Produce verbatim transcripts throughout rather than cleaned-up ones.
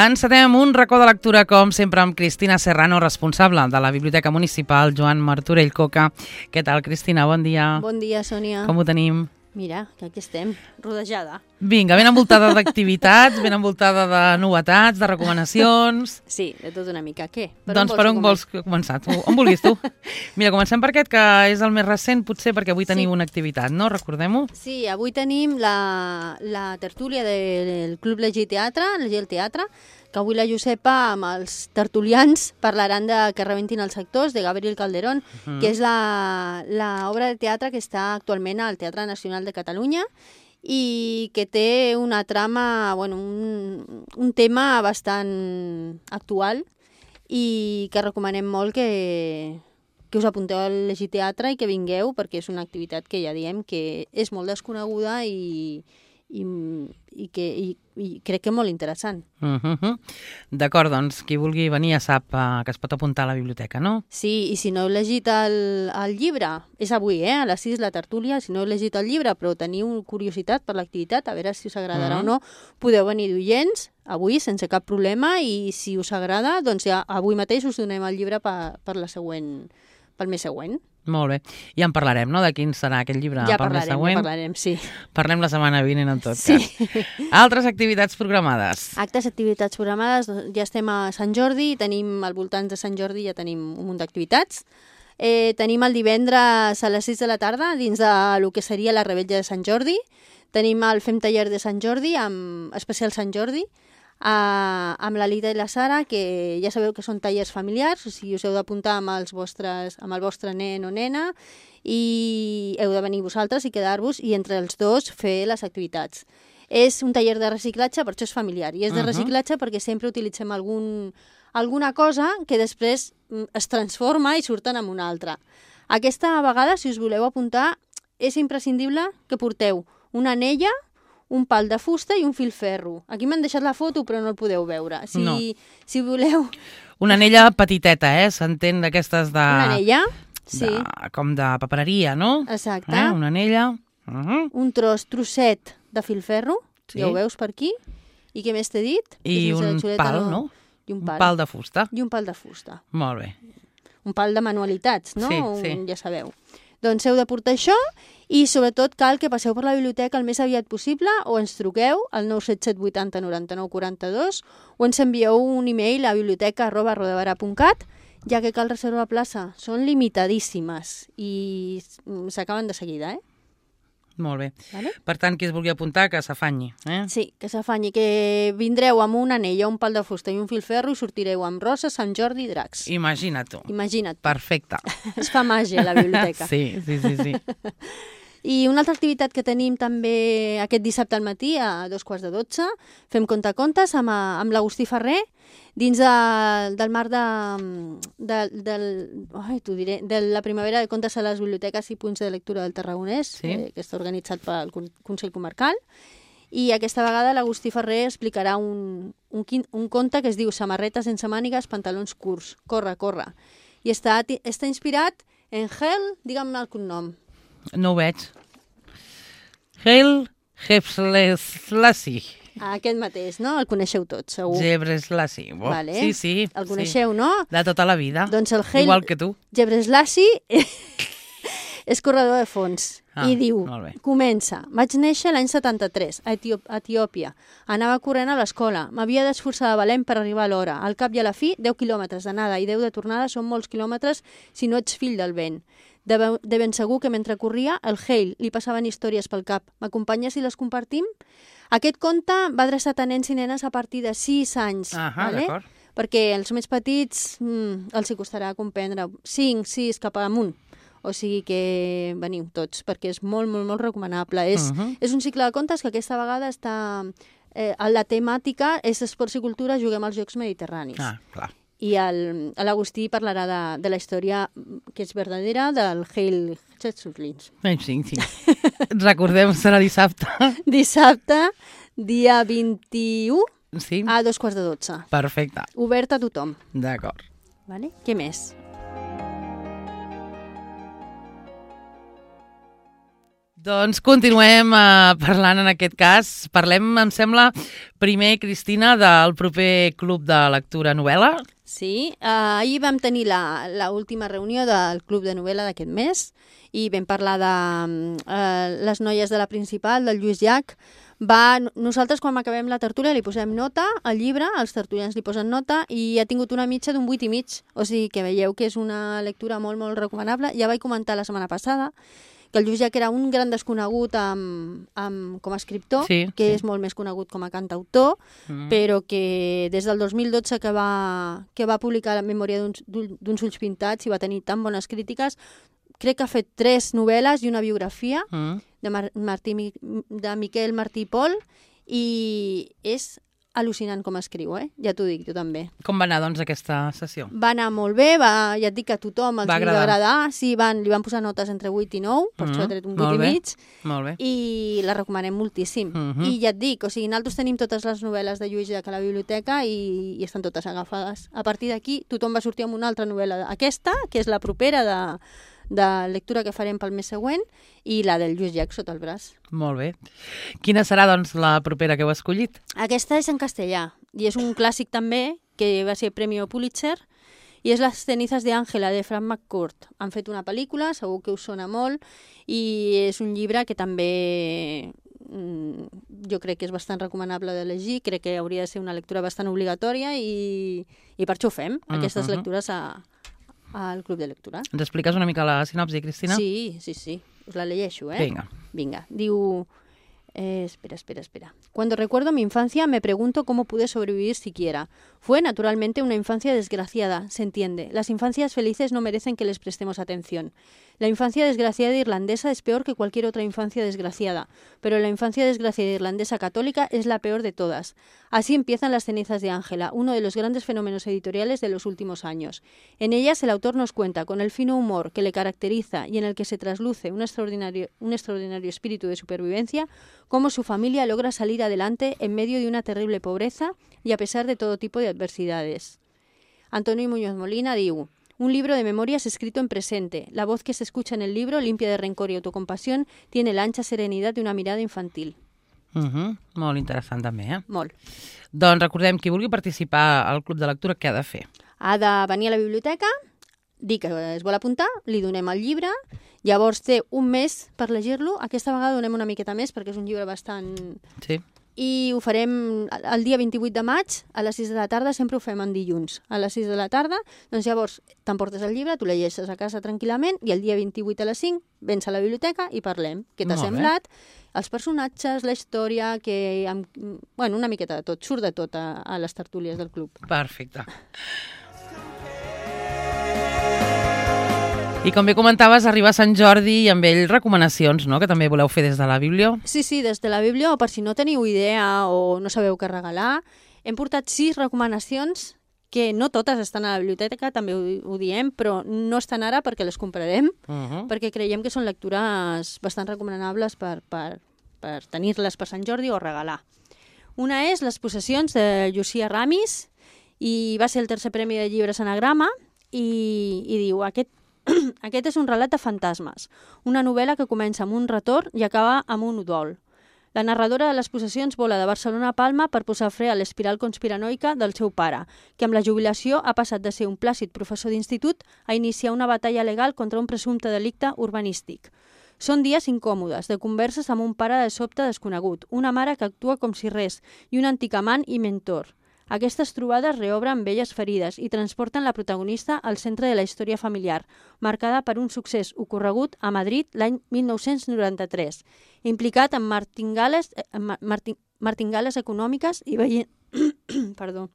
Encetem un racó de lectura, com sempre, amb Cristina Serrano, responsable de la Biblioteca Municipal Joan Martorell Coca. Què tal, Cristina? Bon dia. Bon dia, Sònia. Com ho tenim? Mira, que aquí estem, rodejada. Vinga, ben envoltada d'activitats, ben envoltada de novetats, de recomanacions... Sí, de tot una mica. Què? Per doncs per on vols començar? Tu, on vulguis tu. Mira, comencem per aquest, que és el més recent, potser perquè avui teniu sí. una activitat, no? Recordem-ho? Sí, avui tenim la, la tertúlia del Club Llegir Teatre, Llegir el Teatre, que avui la Josepa amb els tertulians parlaran de Que rebentin els actors, de Gabriel Calderón, uh -huh. que és l'obra de teatre que està actualment al Teatre Nacional de Catalunya i que té una trama, bueno, un, un tema bastant actual i que recomanem molt que, que us apunteu al Llegir Teatre i que vingueu, perquè és una activitat que ja diem que és molt desconeguda i, i, i, que, i, i crec que molt interessant. Uh -huh. D'acord, doncs qui vulgui venir ja sap uh, que es pot apuntar a la biblioteca, no? Sí, i si no heu llegit el, el llibre, és avui, eh, a les sis la tertúlia, si no heu llegit el llibre però teniu curiositat per l'activitat, a veure si us agradarà uh -huh. o no, podeu venir d'oients avui sense cap problema i si us agrada, doncs ja avui mateix us donem el llibre per, per la següent, pel mes següent. Molt bé. Ja en parlarem, no?, de quin serà aquest llibre ja pel parlarem, mes següent. Ja parlarem, sí. Parlem la setmana vinent, en tot sí. cas. Altres activitats programades? Actes, activitats programades, ja estem a Sant Jordi, tenim al voltant de Sant Jordi, ja tenim un munt d'activitats. Eh, tenim el divendres a les sis de la tarda, dins de lo que seria la Revetlla de Sant Jordi. Tenim el Fem Taller de Sant Jordi, amb especial Sant Jordi, Uh, amb la Lita i la Sara, que ja sabeu que són tallers familiars, o sigui, us heu d'apuntar amb, els vostres, amb el vostre nen o nena i heu de venir vosaltres i quedar-vos i entre els dos fer les activitats. És un taller de reciclatge, per això és familiar, i és de reciclatge uh -huh. perquè sempre utilitzem algun, alguna cosa que després es transforma i surten en una altra. Aquesta vegada, si us voleu apuntar, és imprescindible que porteu una anella, un pal de fusta i un filferro. Aquí m'han deixat la foto, però no el podeu veure. Si, no. si voleu... Una anella petiteta, eh? S'entén d'aquestes de... Una anella, sí. De, com de papereria, no? Exacte. Eh? Una anella. Uh -huh. Un tros, trosset de filferro, sí. ja ho veus per aquí. I què més t'he dit? I un pal, no? no? I un pal. un pal de fusta. I un pal de fusta. Molt bé. Un pal de manualitats, no? Sí, un, sí. Ja sabeu. Doncs heu de portar això i sobretot cal que passeu per la biblioteca el més aviat possible o ens truqueu al nou set set vuitanta noranta-nou quaranta-dos o ens envieu un e-mail a biblioteca arroba rodevara punt cat, ja que cal reservar plaça. Són limitadíssimes i s'acaben de seguida, eh? Molt bé. Vale? Per tant, qui es vulgui apuntar, que s'afanyi. Eh? Sí, que s'afanyi, que vindreu amb una anella, un pal de fusta i un filferro i sortireu amb roses, Sant Jordi i dracs. Imagina't tu. Imagina't. Perfecte. Es fa màgia a la biblioteca. Sí, sí, sí, sí. I una altra activitat que tenim també aquest dissabte al matí, a dos quarts de dotze, fem contacontes amb, amb l'Agustí Ferrer, dins de, del marc de, de, del, ai, t'ho diré, de la primavera de contes a les biblioteques i punts de lectura del Tarragonès, sí. eh, que està organitzat pel Consell Comarcal. I aquesta vegada l'Agustí Ferrer explicarà un, un, un conte que es diu Samarreta sense mànigues, pantalons curts, corre, corre. I està, està inspirat en Hel, digue'm el cognom. No ho veig. Haile Gebrselassie. Aquest mateix, no? El coneixeu tots, segur. Gebrselassie. Oh, vale. Sí, sí. El coneixeu, sí. no? De tota la vida. Doncs el Haile Igual que tu. Gebrselassie és corredor de fons. Ah, I diu, comença, vaig néixer l'any setanta-tres, a Etiòpia. Anava corrent a l'escola. M'havia d'esforçar de valent per arribar a l'hora. Al cap i a la fi, deu quilòmetres d'anada i deu de tornada són molts quilòmetres si no ets fill del vent. De, de ben segur que mentre corria, el Haile li passaven històries pel cap. M'acompanyes si les compartim? Aquest conte va adreçat a nens i nenes a partir de sis anys. Ah, vale? d'acord. Perquè els més petits mmm, els hi costarà comprendre cinc, sis, cap amunt. O sigui que veniu tots, perquè és molt, molt, molt recomanable. És, uh -huh. és un cicle de contes que aquesta vegada està... Eh, la temàtica és esports i cultura, juguem als Jocs Mediterranis. Ah, clar. I l'Agustí parlarà de, de la història que és verdadera del Haile Gebrselassie. Sí, sí. Recordem, serà dissabte. Dissabte, dia vint-i-u, sí. a dos quarts de dotze. Perfecte. Obert a tothom. D'acord. Vale? Què més? Doncs continuem uh, parlant en aquest cas. Parlem, em sembla, primer, Cristina, del proper Club de Lectura Novel·la. Sí, uh, ahir vam tenir la, la última reunió del Club de Novel·la d'aquest mes i vam parlar de uh, les noies de la principal, del Lluís Llach. Va, nosaltres quan acabem la tertúlia li posem nota al llibre, els tertulians li posen nota i ha tingut una mitja d'un vuit i mig, o sigui que veieu que és una lectura molt, molt recomanable. Ja vaig comentar la setmana passada que el Lluís Llach era un gran desconegut amb, amb, com a escriptor, sí, que sí. és molt més conegut com a cantautor, mm. però que des del dos mil dotze que va, que va publicar la memòria d'uns ulls pintats i va tenir tan bones crítiques, crec que ha fet tres novel·les i una biografia mm. de, Mar Martí, de Miquel Martí i Pol i és al·lucinant com escriu, eh? Ja t'ho dic, tu també. Com va anar, doncs, aquesta sessió? Va anar molt bé, va, ja et dic que a tothom els va agradar. agradar. Sí, van, li van posar notes entre vuit i nou, per mm -hmm. això ha tret un vuit i mig. Molt bé. I la recomanem moltíssim. Mm -hmm. I ja et dic, o sigui, nosaltres tenim totes les novel·les de Lluís Llach a la biblioteca i, i estan totes agafades. A partir d'aquí, tothom va sortir amb una altra novel·la. Aquesta, que és la propera de... de lectura que farem pel mes següent, i la del Lluís Llach sota el braç. Molt bé. Quina serà, doncs, la propera que heu escollit? Aquesta és en castellà, i és un clàssic també, que va ser Premi Pulitzer, i és Las cenizas de Ángela, de Frank McCourt. Han fet una pel·lícula, segur que us sona molt, i és un llibre que també jo crec que és bastant recomanable de llegir, crec que hauria de ser una lectura bastant obligatòria, i, i per això ho fem, aquestes uh-huh. lectures a... al Club de Lectura. Ens expliques una mica la sinopsi, Cristina? Sí, sí, sí. Us la llegeixo, ¿eh? Venga. Venga. Diu... Eh, espera, espera, espera. Cuando recuerdo mi infancia me pregunto cómo pude sobrevivir siquiera. Fue naturalmente una infancia desgraciada, se entiende. Las infancias felices no merecen que les prestemos atención. La infancia desgraciada irlandesa es peor que cualquier otra infancia desgraciada, pero la infancia desgraciada irlandesa católica es la peor de todas. Así empiezan Las cenizas de Ángela, uno de los grandes fenómenos editoriales de los últimos años. En ellas el autor nos cuenta, con el fino humor que le caracteriza y en el que se trasluce un extraordinario, un extraordinario espíritu de supervivencia, cómo su familia logra salir adelante en medio de una terrible pobreza y a pesar de todo tipo de adversidades. Antonio Muñoz Molina diu: un libro de memorias escrito en presente. La voz que se escucha en el libro, limpia de rencor y autocompasión, tiene la ancha serenidad de una mirada infantil. Uh-huh. Molt interessant també, eh? Molt. Doncs recordem, qui vulgui participar al Club de Lectura, què ha de fer? Ha de venir a la biblioteca, dir que es vol apuntar, li donem el llibre, llavors té un mes per llegir-lo. Aquesta vegada donem una miqueta més perquè és un llibre bastant... Sí. I ho farem el dia vint-i-vuit de maig a les sis de la tarda, sempre ho fem en dilluns a les sis de la tarda, doncs llavors t'emportes el llibre, tu llegeixes a casa tranquil·lament i el dia vint-i-vuit a les cinc vens a la biblioteca i parlem. Què t'ha semblat? Els personatges, la història, que amb, bueno, una miqueta de tot, surt de tot a, a les tertúlies del club. Perfecte. I com bé comentaves, arriba Sant Jordi i amb ell recomanacions, no?, que també voleu fer des de la Biblio. Sí, sí, des de la Biblio, o per si no teniu idea o no sabeu què regalar. Hem portat sis recomanacions que no totes estan a la biblioteca, també ho, ho diem, però no estan ara perquè les comprarem, uh-huh. perquè creiem que són lectures bastant recomanables per, per, per tenir-les per Sant Jordi o regalar. Una és Les possessions de Llucia Ramis, i va ser el tercer premi de llibres Anagrama, i, i diu, aquest Aquest és un relat de fantasmes, una novel·la que comença amb un retorn i acaba amb un udol. La narradora de Les possessions vola de Barcelona a Palma per posar fre a l'espiral conspiranoica del seu pare, que amb la jubilació ha passat de ser un plàcid professor d'institut a iniciar una batalla legal contra un presumpte delicte urbanístic. Són dies incòmodes, de converses amb un pare de sobte desconegut, una mare que actua com si res i un antic amant i mentor. Aquestes trobades reobren velles ferides i transporten la protagonista al centre de la història familiar, marcada per un succés ocorregut a Madrid l'any mil nou-cents noranta-tres, implicat en martingales, marting, martingales econòmiques i veient, perdó,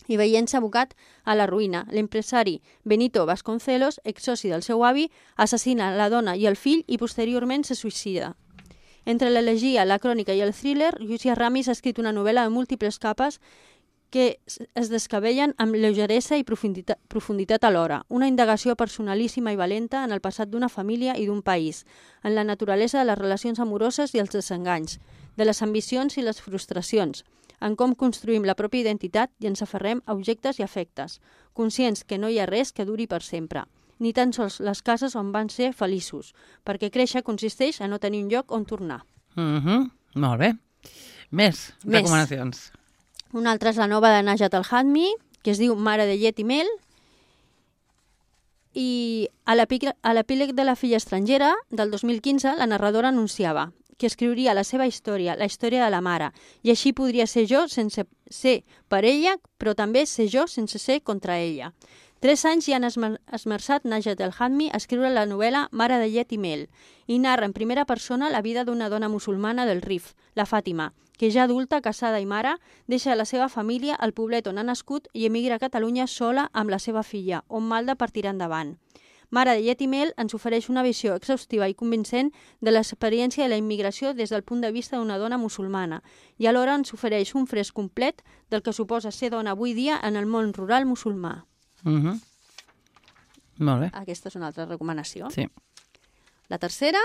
i veient-se abocat a la ruïna. L'empresari Benito Vasconcelos, exsoci del seu avi, assassina la dona i el fill i posteriorment se suïcida. Entre l'elegia, la crònica i el thriller, Llucia Ramis ha escrit una novel·la de múltiples capes que es descabellen amb lleugeresa i profunditat, profunditat alhora, una indagació personalíssima i valenta en el passat d'una família i d'un país, en la naturalesa de les relacions amoroses i els desenganys, de les ambicions i les frustracions, en com construïm la pròpia identitat i ens aferrem a objectes i afectes, conscients que no hi ha res que duri per sempre. ni tan sols les cases on van ser feliços, perquè créixer consisteix a no tenir un lloc on tornar. Mm-hmm. Molt bé. Més, Més recomanacions. Una altra és la nova de Najat El-Hadmi, que es diu Mare de llet i mel, i a l'epíleg de la filla estrangera del dos mil quinze la narradora anunciava que escriuria la seva història, la història de la mare, i així podria ser jo sense ser per ella, però també ser jo sense ser contra ella. Tres anys ja han esmerçat Najat El-Hadmi a escriure la novel·la Mare de llet i mel i narra en primera persona la vida d'una dona musulmana del Rif, la Fàtima, que ja adulta, casada i mare, deixa la seva família al poblet on ha nascut i emigra a Catalunya sola amb la seva filla, on malda per tirar endavant. Mare de llet i mel ens ofereix una visió exhaustiva i convincent de l'experiència de la immigració des del punt de vista d'una dona musulmana i alhora ens ofereix un fresc complet del que suposa ser dona avui dia en el món rural musulmà. Mm-hmm. Molt bé. Aquesta és una altra recomanació. Sí. La tercera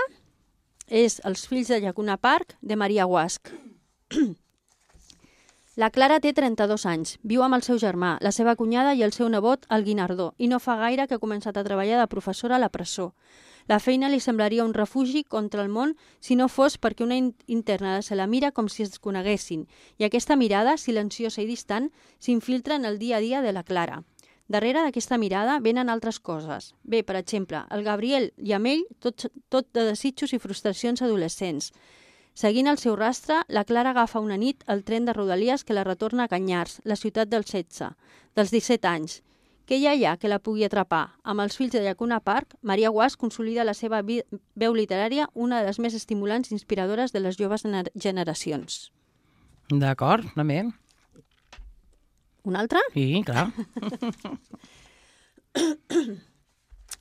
és Els fills de Llacuna Park, de Maria Guasch. La Clara té trenta-dos anys, viu amb el seu germà, la seva cunyada i el seu nebot, el Guinardó, i no fa gaire que ha començat a treballar de professora a la presó. La feina li semblaria un refugi contra el món si no fos perquè una interna se la mira com si es coneguessin, i aquesta mirada, silenciosa i distant, s'infiltra en el dia a dia de la Clara. Darrere d'aquesta mirada venen altres coses. Bé, per exemple, el Gabriel i amb ell tot, tot de desitjos i frustracions adolescents. Seguint el seu rastre, la Clara agafa una nit el tren de Rodalies que la retorna a Canyars, la ciutat dels setze, dels disset anys. Què hi ha allà que la pugui atrapar? Amb Els fills de Llacuna Park, Maria Guasch consolida la seva veu literària, una de les més estimulants i inspiradores de les joves generacions. D'acord, també. Una altra? Sí, clar.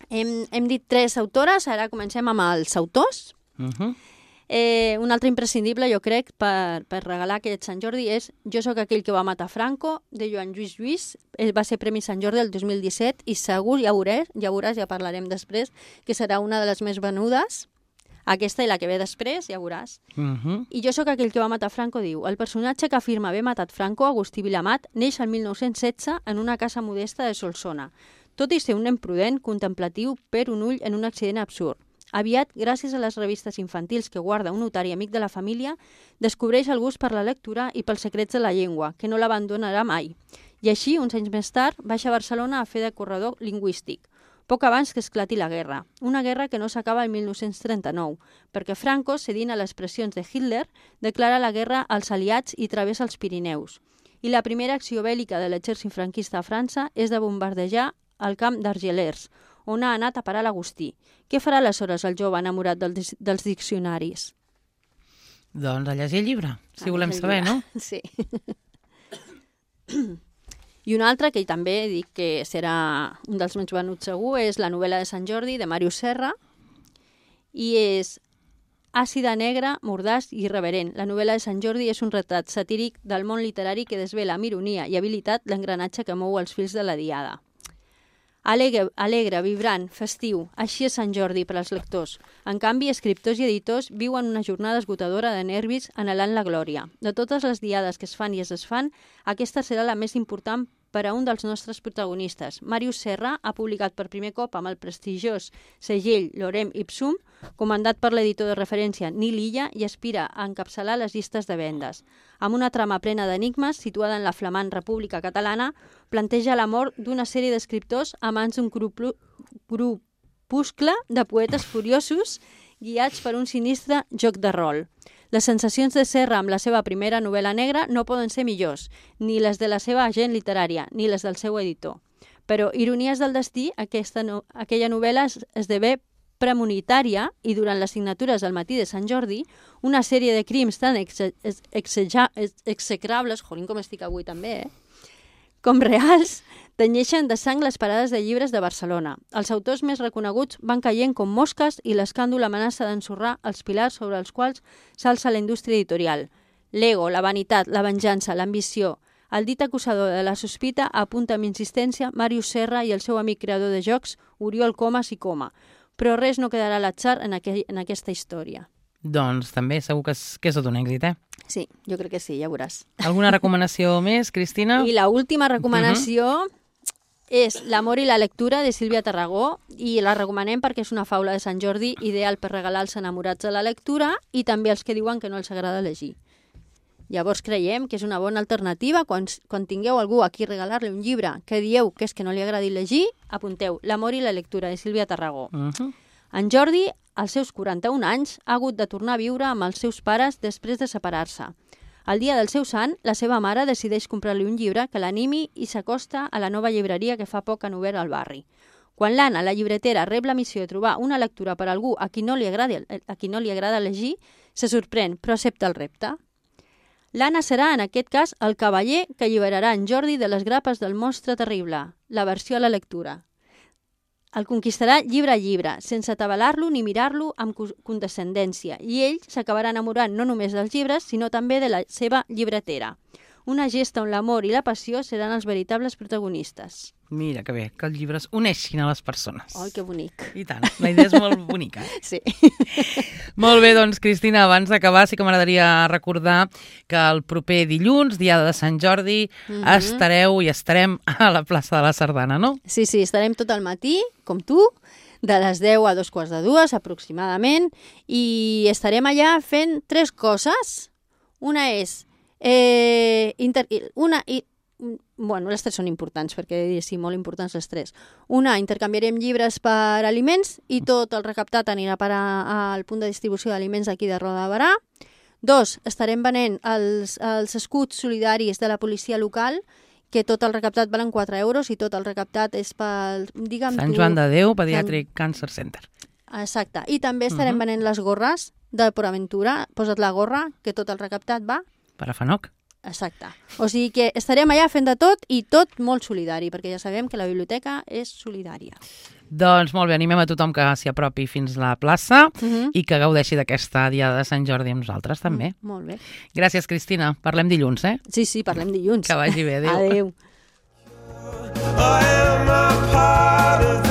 hem, hem dit tres autores, ara comencem amb els autors. Uh-huh. Eh, un altre imprescindible, jo crec, per, per regalar aquest Sant Jordi és Jo sóc aquell que va matar Franco, de Joan Lluís Lluís. Ell va ser Premi Sant Jordi el dos mil disset i segur, ja veuràs, ja veuràs, ja parlarem després, que serà una de les més venudes. Aquesta i la que ve després, ja veuràs. Uh-huh. I Jo sóc aquell que va matar Franco diu: el personatge que afirma haver matat Franco, Agustí Vilamat, neix el mil nou-cents setze en una casa modesta de Solsona. Tot i ser un nen prudent, contemplatiu, per un ull en un accident absurd. Aviat, gràcies a les revistes infantils que guarda un notari amic de la família, descobreix el gust per la lectura i pels secrets de la llengua, que no l'abandonarà mai. I així, uns anys més tard, baixa a Barcelona a fer de corredor lingüístic, poc abans que esclati la guerra. Una guerra que no s'acaba el mil nou-cents trenta-nou, perquè Franco, cedint a les pressions de Hitler, declara la guerra als aliats i travessa els Pirineus. I la primera acció bèl·lica de l'exèrcit franquista a França és de bombardejar el camp d'Argelers, on ha anat a parar l'Agustí. Què farà aleshores el jove enamorat dels, dels diccionaris? Doncs a llegir el llibre, si volem saber, no? Sí. I una altra, que també dic que serà un dels més venuts segur, és la novel·la de Sant Jordi, de Màrius Serra, i és àcida, negra, mordaç i irreverent. La novel·la de Sant Jordi és un retrat satíric del món literari que desvela amb ironia i habilitat l'engranatge que mou els fils de la diada. Alegre, alegre, vibrant, festiu, així és Sant Jordi per als lectors. En canvi, escriptors i editors viuen una jornada esgotadora de nervis anhelant la glòria. De totes les diades que es fan i es desfan, aquesta serà la més important per a un dels nostres protagonistes. Màrius Serra ha publicat per primer cop amb el prestigiós segell Lorem Ipsum, comandat per l'editor de referència Nil Illa, i aspira a encapçalar les llistes de vendes. Amb una trama plena d'enigmes, situada en la flamant República Catalana, planteja la mort d'una sèrie d'escriptors a mans d'un grupuscle de poetes furiosos guiats per un sinistre joc de rol. Les sensacions de Serra amb la seva primera novel·la negra no poden ser millors, ni les de la seva agent literària, ni les del seu editor. Però, ironies del destí, aquesta no, aquella novel·la es, esdevé premonitària i durant les signatures del matí de Sant Jordi, una sèrie de crims tan exe, ex, exeja, ex, execrables, jolín com estic avui també, eh? com reals, tenyeixen de sang les parades de llibres de Barcelona. Els autors més reconeguts van caient com mosques i l'escàndol amenaça d'ensorrar els pilars sobre els quals s'alça la indústria editorial. L'ego, la vanitat, la venjança, l'ambició. El dit acusador de la sospita apunta amb insistència Màrius Serra i el seu amic creador de jocs, Oriol Comas i Coma. Però res no quedarà a l'atzar en, aqu en aquesta història. Doncs també segur que és, que és tot un èxit, eh? Sí, jo crec que sí, ja veuràs. Alguna recomanació més, Cristina? I l'última recomanació uh -huh. és L'amor i la lectura, de Sílvia Tarragó, i la recomanem perquè és una faula de Sant Jordi ideal per regalar als enamorats de la lectura i també als que diuen que no els agrada llegir. Llavors creiem que és una bona alternativa. Quan, quan tingueu algú a qui regalar-li un llibre que dieu que és que no li agradi llegir, apunteu L'amor i la lectura, de Sílvia Tarragó. Uh -huh. En Jordi, als seus quaranta-un anys, ha hagut de tornar a viure amb els seus pares després de separar-se. El dia del seu sant, la seva mare decideix comprar-li un llibre que l'animi i s'acosta a la nova llibreria que fa poc han obert al barri. Quan l'Anna, la llibretera, rep la missió de trobar una lectura per a algú a qui no li agrada, a qui no li agrada llegir, se sorprèn, però accepta el repte. L'Anna serà, en aquest cas, el cavaller que alliberarà en Jordi de les grapes del monstre terrible, la versió a la lectura. El conquistarà llibre a llibre, sense atabalar-lo ni mirar-lo amb condescendència, i ell s'acabarà enamorant no només dels llibres, sinó també de la seva llibretera. Una gesta on l'amor i la passió seran els veritables protagonistes. Mira, que bé, que els llibres uneixin a les persones. Ai, que bonic. I tant, la idea és molt bonica. Sí. Molt bé, doncs, Cristina, abans d'acabar sí que m'agradaria recordar que el proper dilluns, dia de Sant Jordi, mm-hmm. estareu i estarem a la plaça de la Sardana, no? Sí, sí, estarem tot el matí, com tu, de les deu a dos quarts de dues, aproximadament, i estarem allà fent tres coses. Una és... Eh, inter... Una... I... Bueno, les tres són importants, perquè sí, molt importants les tres. Una, intercanviarem llibres per aliments i tot el recaptat anirà a parar al punt de distribució d'aliments d'aquí de Roda de Barà. Dos, estarem venent els, els escuts solidaris de la policia local, que tot el recaptat valen quatre euros i tot el recaptat és pel... Digue'm Sant tu, Joan de Déu, Pediatric Sant... Cancer Center. Exacte. I també estarem uh-huh. venent les gorres de PortAventura. Posa't la gorra, que tot el recaptat va... Per a Fanoc. Exacte. O sigui que estarem allà fent de tot i tot molt solidari, perquè ja sabem que la biblioteca és solidària. Doncs molt bé, animem a tothom que s'hi apropi fins a la plaça uh-huh. i que gaudeixi d'aquesta diada de Sant Jordi amb nosaltres també. Mm, molt bé. Gràcies, Cristina. Parlem dilluns, eh? Sí, sí, parlem dilluns. Que vagi bé. Adéu. Adéu. I am a part of